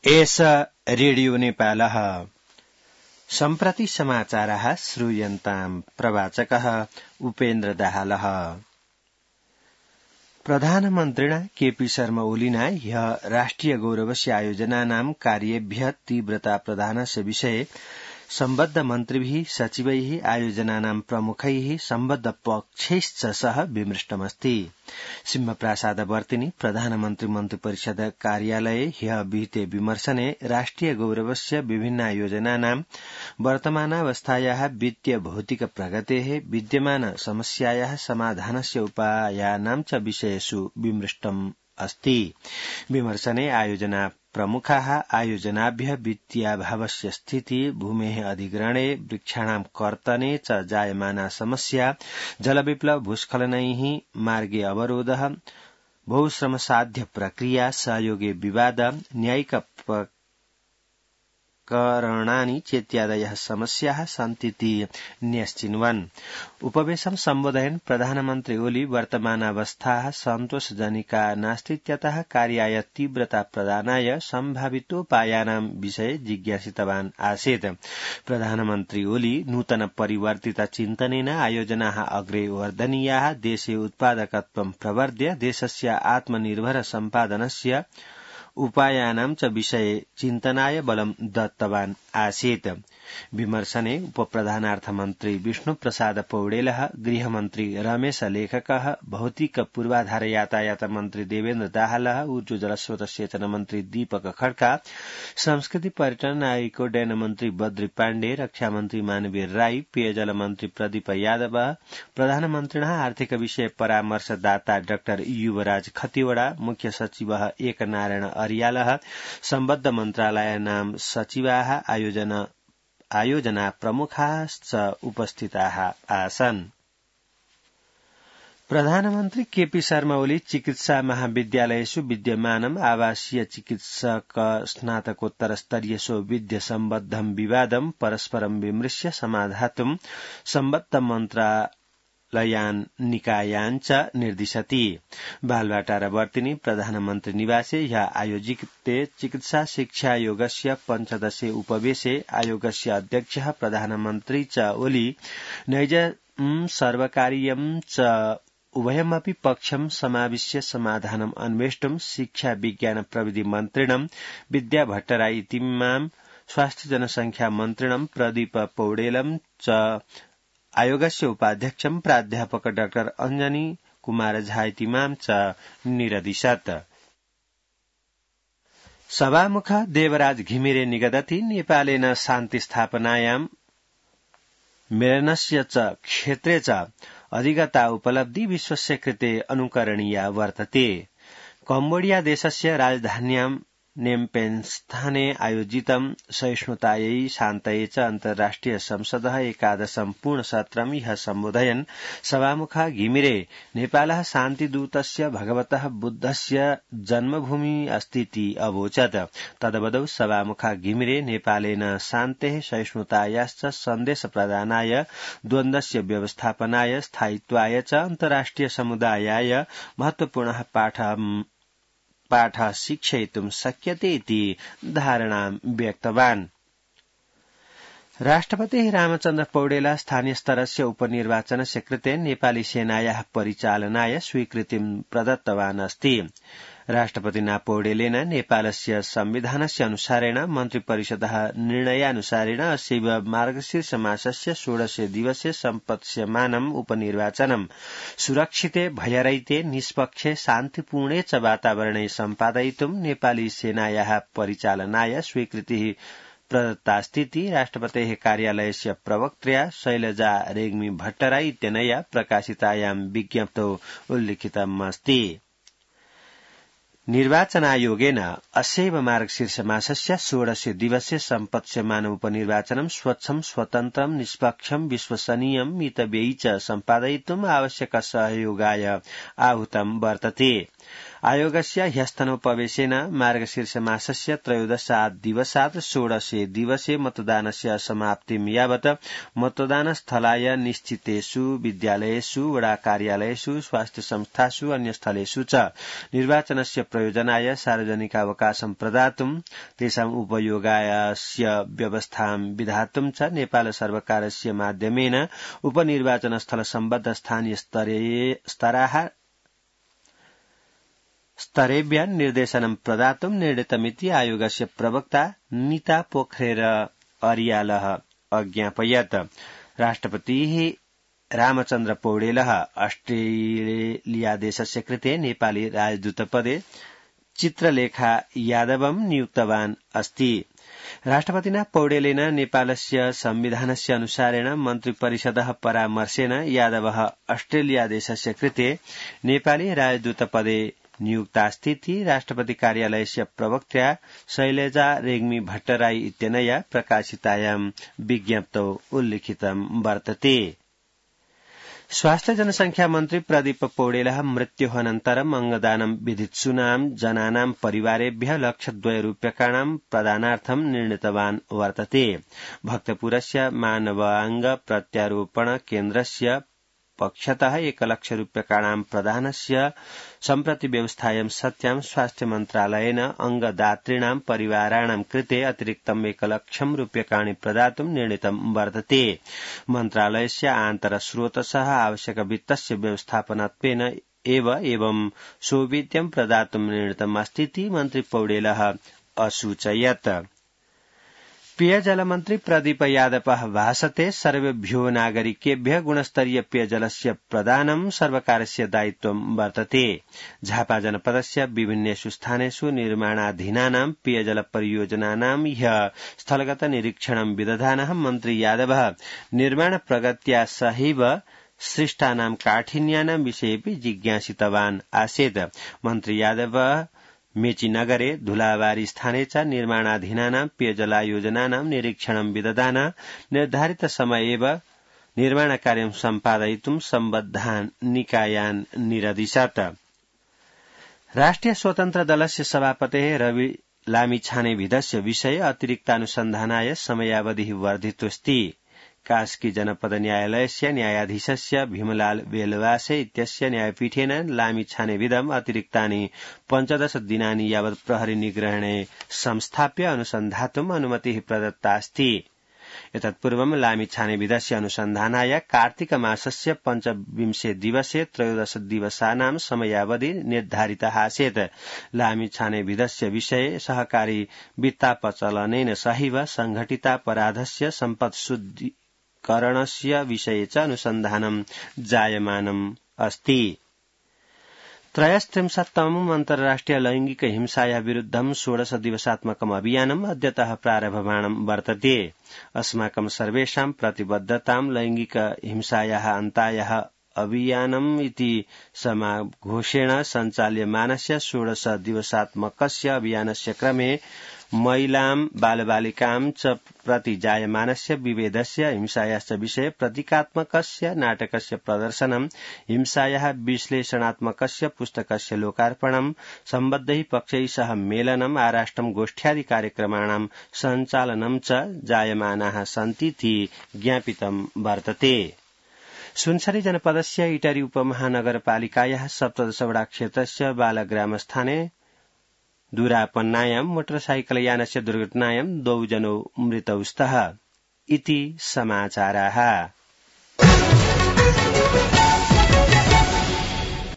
एष रेडियो नेपालः सम्प्रति समाचारः श्रूयन्ताम् प्रवाचकः उपेन्द्र दाहालः। प्रधानमन्त्रिणा केपी शर्मा ओलिना ह्यः राष्ट्रिय गौरवस्य आयोजनानां कार्येभ्यः तीव्रता प्रदानस्य विषये सम्बद्ध मन्त्रिभिः सचिवैः आयोजनानां प्रमुखैः सम्बद्ध पक्षैश्च सह विमृष्टमस्ति। सिंहप्रासादवर्तिनि प्रधानमन्त्री मन्त्रिपरिषद कार्यालये ह्यः विहिते विमर्शने राष्ट्रिय गौरवस्य विभिन्नायोजनानां वर्तमानावस्थायाः वित्तीय भौतिक प्रगतेः विद्यमान समस्यायाः समाधानस्य उपायानां च विषयेषु विमृष्टम् अस्ति। विमर्शने आयोजना प्रमुखाः आयोजनाभ्यः वित्तीयाभावस्य स्थितिः, भूमेः अधिग्रहणे, वृक्षाणां कर्तने च जायमाना समस्या, जलविप्लव, भूस्खलनैः मार्गे अवरोधः, बहुश्रमसाध्य प्रक्रिया, सहयोगे विवाद, न्यायिक प्रकरणानि चेत्यादयः समस्याः सन्तीति न्यश्चिन्वन्। उपवेशं सम्बोधयन् प्रधानमन्त्री ओली वर्तमानावस्थाः सन्तोषजनिका नास्तीत्यतः कार्याय तीव्रता प्रदानाय सम्भावितोपायानां विषये जिज्ञासितवान् आसीत्। प्रधानमन्त्री ओली नूतन परिवर्तित चिन्तनेन आयोजनाः अग्रे वर्धनीयाः, देशे उत्पादकत्वं प्रवर्ध्य देशस्य आत्मनिर्भर सम्पादनस्य उपायानां च विषये चिन्तनाय बलं दत्तवान् आसीत्। विमर्शने उपप्रधानार्थमन्त्री विष्णुप्रसाद पौडेलः, गृहमन्त्री रमेश लेखकः, भौतिक पूर्वाधार यातायात मन्त्री देवेन्द्र दाहालः, ऊर्जा जलस्रोत सेचन मन्त्री दीपक खड्का, संस्कृति पर्यटन नागरिक उड्डयन मन्त्री बद्री पाण्डे, रक्षा मन्त्री मानवीर राई, पेयजल मन्त्री प्रदीप यादव, प्रधानमन्त्रिणः आर्थिक विषय परामर्शदाता डाक्टर युवराज खतिवड़ा, मुख्य सचिवः एकनारायण अर्यालः, सम्बद्ध मन्त्रालयानां सचिवाः, आयोजना प्रमुखाश्च उपस्थिताः आसन्। प्रधानमन्त्री केपी शर्मा ओली चिकित्सा महाविद्यालयेषु विद्यमानम् आवासीय चिकित्सक स्नातकोत्तर स्तरीयसो विद्य सम्बद्धं विवादं परस्परं विमृश्य समाधातुं सम्बद्ध मन्त्रालयान् निकायान् च निर्दिशति। बालवाटारवर्तिनि प्रधानमन्त्री निवासे ह्यः आयोजिते चिकित्सा शिक्षायोगस्य 15 उपवेशे आयोगस्य अध्यक्षः प्रधानमन्त्री च ओली नैजं सर्वकारीयं च उभयमपि पक्षं समाविश्य समाधानम् अन्वेष्टुं शिक्षा विज्ञान प्रविधि मन्त्रिणं विद्या भट्टराई इतीमां, स्वास्थ्य जनसंख्या मन्त्रिणं प्रदीप पौडेलं च आयोगस्य उपाध्यक्षं प्राध्यापक डाक्टर अञ्जनी कुमार झा इतीमां च निरदिशत्। सभामुख देवराज घिमिरे निगदति नेपालेन शान्ति स्थापनायां मेलनस्य च क्षेत्रे च अधिगता उपलब्धि विश्वस्य कृते अनुकरणीया वर्तते। कम्बोडिया देशस्य राजधान्यां नेम्पेन्स्थाने आयोजितं सहिष्णुतायै शान्तये च अन्तर्राष्ट्रिय संसदः एकादशं पूर्णसत्रं ह्यः सम्बोधयन् सभामुख घिमिरे नेपालः शान्तिदूतस्य भगवतः बुद्धस्य जन्मभूमि अस्तीति अवोचत्। तदवदौ सभामुख घिमिरे नेपालेन शान्तेः सहिष्णुतायाश्च सन्देश प्रदानाय, द्वन्द्वस्य व्यवस्थापनाय, स्थायित्वाय च अन्तर्राष्ट्रिय समुदायाय महत्वपूर्णः पाठः शिक्षयितुं शक्यते इति धारणां व्यक्तवान्। राष्ट्रपतिः रामचन्द्र पौडेल स्थानीयस्तरस्य उपनिर्वाचनस्य कृते नेपाली सेनायाः परिचालनाय स्वीकृतिं प्रदत्तवान् अस्ति। राष्ट्रपतिना पौडेलेन नेपालस्य संविधानस्य अनुसारेण मन्त्रिपरिषदः निर्णयानुसारेण अस्यैव मार्गशीर्ष मासस्य 16 दिवसे सम्पत्स्यमानम् उपनिर्वाचनम् सुरक्षिते, भयरहिते, निष्पक्षे, शान्तिपूर्णे च वातावरणे सम्पादयितुं नेपाली सेनायाः परिचालनाय स्वीकृतिः प्रदत्तास्तीति राष्ट्रपतेः कार्यालयस्य प्रवक्त्र्या शैलजा रेग्मी भट्टराई इत्यनया प्रकाशितायां विज्ञप्तौ उल्लिखितमस्ति। निर्वाचनायोगेन अस्यैव मार्गशीर्ष मासस्य 16 दिवसे सम्पत्स्यमानम् उपनिर्वाचनं स्वच्छं, स्वतन्त्रं, निष्पक्षं, विश्वसनीयं, मितव्ययी च सम्पादयितुम् आवश्यक सहयोगाय आहूतं वर्तते। आयोगस्य ह्यस्तनोपवेशेन मार्गशीर्षमासस्य 13 दिवसात् 16 दिवसे मतदानस्य समाप्तिं यावत् मतदानस्थलाय निश्चितेषु विद्यालयेषु वडा कार्यालयेषु स्वास्थ्य संस्थासु अन्यस्थलेषु च निर्वाचनस्य प्रयोजनाय सार्वजनिकावकाशं प्रदातुं तेषाम् उपयोगायस्य व्यवस्थां विधातुं च नेपाल सर्वकारस्य माध्यमेन उपनिर्वाचनस्थल सम्बद्ध स्थानीय स्तरेभ्यः निर्देशनं प्रदातुं निर्णीतमिति आयोगस्य प्रवक्ता नीता पोखरेल अरियालः अज्ञापयत्। राष्ट्रपतिः रामचन्द्र पौडेलः ऑस्ट्रेलियादेशस्य कृते नेपाली राजदूतपदे चित्रलेखा यादवं नियुक्तवान् अस्ति। राष्ट्रपतिना पौडेलेन नेपालस्य संविधानस्य अनुसारेण मन्त्रिपरिषदः परामर्शेन यादवः ऑस्ट्रेलियादेशस्य कृते नेपाली राजदूतपदे नियुक्तास्तीति राष्ट्रपति कार्यालयस्य प्रवक्त्या शैलजा रेग्मी भट्टराई इत्यनया प्रकाशितायां विज्ञप्तौ उल्लिखितं वर्तते। स्वास्थ्य जनसंख्या मन्त्री प्रदीप पौडेलः मृत्योः अनन्तरम् अङ्गदानं विधित्सूनां जनानां परिवारेभ्यः ₹1,02,000 प्रदानार्थं निर्णीतवान् वर्तते। भक्तपुरस्य मानवांग प्रत्यारोपण केन्द्रस्य पक्षतः ₹1,00,000 प्रदानस्य सम्प्रति व्यवस्थायां सत्यां स्वास्थ्य मन्त्रालयेन अङ्गदातॄणां परिवाराणां कृते अतिरिक्तं ₹1,00,000 प्रदातुं निर्णीतं वर्तते। मन्त्रालयस्य आन्तरस्रोतसः आवश्यक वित्तस्य व्यवस्थापनत्वेन एवं सौविध्यं प्रदातुं निर्णीतमस्तीति मन्त्री पौडेलः असूचयत्। पेयजलमन्त्री प्रदीप यादवः भाषते सर्वेभ्यो नागरिकेभ्यः गुणस्तरीय पेयजलस्य प्रदानं सर्वकारस्य दायित्वं वर्तते। झापा जनपदस्य विभिन्नेषु स्थानेषु निर्माणाधीनानां पेयजल परियोजनानां ह्यः स्थलगत निरीक्षणं विदधानः मन्त्री यादवः निर्माण प्रगत्या सहैव सृष्टानां काठिन्यानां विषयेऽपि जिज्ञासितवान् आसीत्। मन्त्री यादवः मेचीनगरे धुलाबारी स्थाने च निर्माणाधीनानां पेयजलायोजनानां निरीक्षणं विदधान निर्धारित समये एव निर्माणकार्यं सम्पादयितुं सम्बद्धान् निकायान् निरदिशत्। राष्ट्रिय स्वतन्त्र दलस्य सभापतेः रवि लामिछानेविधस्य विषये अतिरिक्तानुसन्धानाय समयावधिः वर्धितोऽस्ति। कास्की जनपद न्यायालयस्य न्यायाधीशस्य भीमलाल बेलवासे इत्यस्य न्यायपीठेन लामिछानेविधम् अतिरिक्तानि 15 दिनानि यावत् प्रहरी निग्रहणे संस्थाप्य अनुसन्धातुम् अनुमतिः प्रदत्तास्ति। एतत्पूर्वं लामिछानेविधस्य अनुसन्धानाय कार्तिक मासस्य 25 दिवसे 13 दिवसानां समयावधि निर्धारितः आसीत्। लामिछानेविधस्य विषये सहकारी वित्तापचलनेन सहैव संघटितापराधस्य सम्पत्शुद्धीकरणस्य विषये च अनुसन्धानं जायमानम् अस्ति। 33तमम् अन्तर्राष्ट्रिय लैंगिक हिंसायाः विरुद्धं 16 दिवसात्मकम् अभियानम् अद्यतः प्रारभमाणं वर्तते। अस्माकं सर्वेषां प्रतिबद्धतां लैंगिक हिंसायाः अन्तायाः अभियानम् इति समाघोषेण सञ्चाल्यमानस्य 16 दिवसात्मकस्य अभियानस्य क्रमे महिलां बालबालिकां च प्रति जायमानस्य विभेदस्य हिंसायाश्च विषये प्रतीकात्मकस्य नाटकस्य प्रदर्शनं हिंसायाः विश्लेषणात्मकस्य पुस्तकस्य लोकार्पणं सम्बद्धैः पक्षैः सह मेलनम् आराष्ट्रं गोष्ठ्यादि कार्यक्रमाणां सञ्चालनं च जायमानाः सन्तीति ज्ञापितं वर्तते। सुनसरी जनपदस्य इटरी उपमहानगरपालिकायाः 17 वडा क्षेत्रस्य बालग्रामस्थाने दूरापन्नायां मोटरसाइकलयानस्य दुर्घटनायां 2 जनौ मृतौ स्तः इति समाचाराः।